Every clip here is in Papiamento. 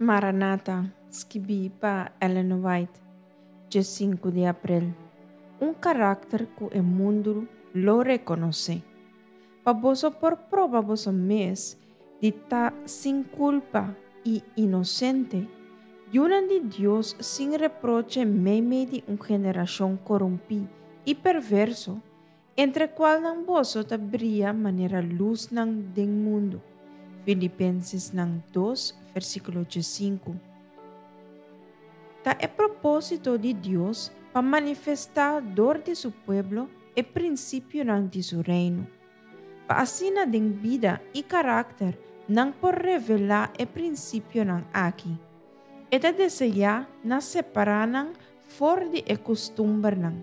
Maranata, skibí pa Ellen White, 5 di aprel. Un karakter ku e mundu lo rekonosé. Pa boso por proba boso mes di ta sin kulpa i inosente, yunan di Dios sin reproche meimei di un generashon korumpí i perverso, entre kualnan boso ta bria manera lusnan den mundu. Filipensesnan 2, versíkulo 5. Ta e propósito di Dios pa manifestá dor di su pueblo e prinsipionan di su reino. Pa asina den bida i karakter nan por revelá e prinsipionan aki. E ta deseá na separá nan for di e kustumbernan,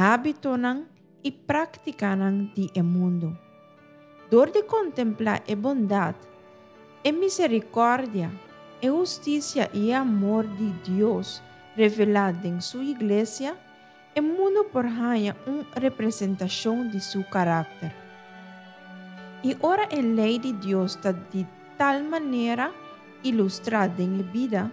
hábitonan i práktikanan di e mundu. Dor di kontemplá e bondat, e miserikòrdia, e hustisia i e amor di Dios revelá den Su iglesia, e mundu por haña un representashon di Su karakter. I ora e lei di Dios ta di tal manera ilustrá den e bida,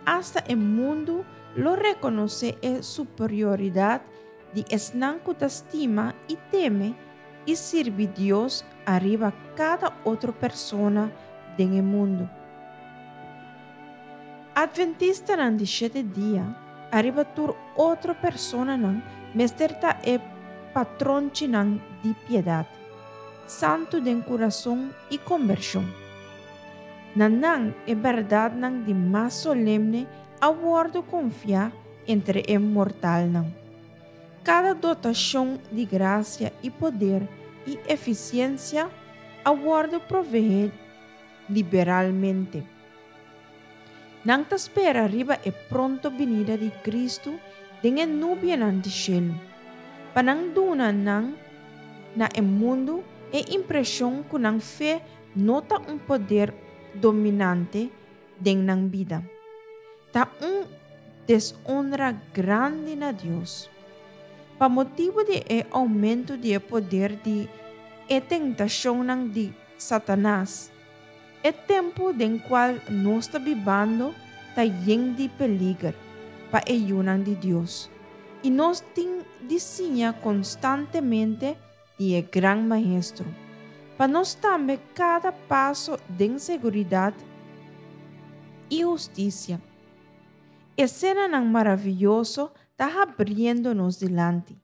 asta e mundu lo rekonosé e superioridat di esnan ku ta stima i teme i sirbi Dios ariba kada otro persona den e mundu. Adventistanan di shete dia, ariba tur otro personanan, mester ta e patronchinan di piedat, santu den kurason i kombershon. Na nan e bèrdatnan di mas solemne a wòrdu konfiá entre e mortalnan. Kada dotashon di grasia i poder i efisiensia a wòrdu proveé liberalmente. Nan ta spera riba e pronto binida di Kristu den e nubianan di shelu, pa nan duna nan na e mundu e impreshon ku nan fe no ta un poder dominante den nan bida. Ta un deshonra grandi na Dios. Pa motibu di e oumento di e poder di e tentashonnan di Satanas, e tempu den kual nos ta bibando ta yen di peliger pa e yunan di Dios, i nos tin di siña konstantemente di e Gran Maestro, pa nos tambe kada paso den seguridat i hustisia. Esenanan maravioso ta habriendo nos dilanti,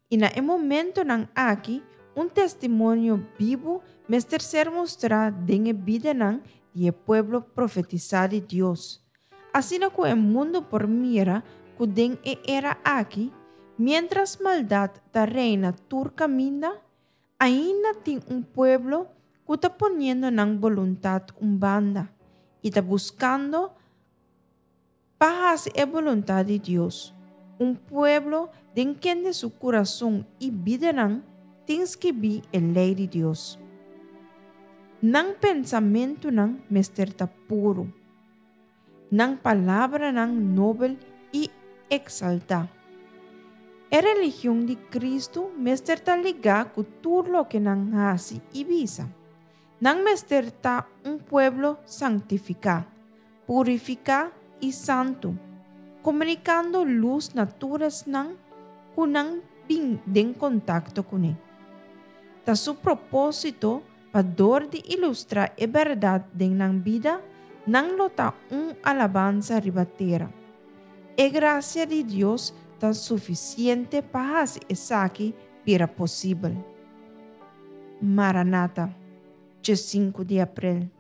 i na e momentonan aki un testimonio bibu mester ser mustrá den e bidanan di e pueblo profetisá di Dios, asina ku e mundu por mira ku den e era aki, miéntras maldat ta reina tur kaminda, ainda tin un pueblo ku ta poniendo nan boluntat un banda i ta buskando pa hasi e boluntat di Dios, un pueblo den kende su kurason i bidanan tin skibí e lei di Dios. Nan pensamentunan mester ta puru, nan palabranan nobel i eksaltá. E religion di Kristu mester ta ligá ku tur loke nan hasi i bisa. Nan mester ta un pueblo sanktifiká, purifiká i santu, komunikando lus na tur esnan ku nan bin den kontakto kuné. Ta su propósito pa dor di ilustrá e bèrdat den nan bida, nan lo ta un alabansa riba tera. E grasia di Dios ta sufisiente pa hasi esaki bira posibel. Maranata, 5 di aprel.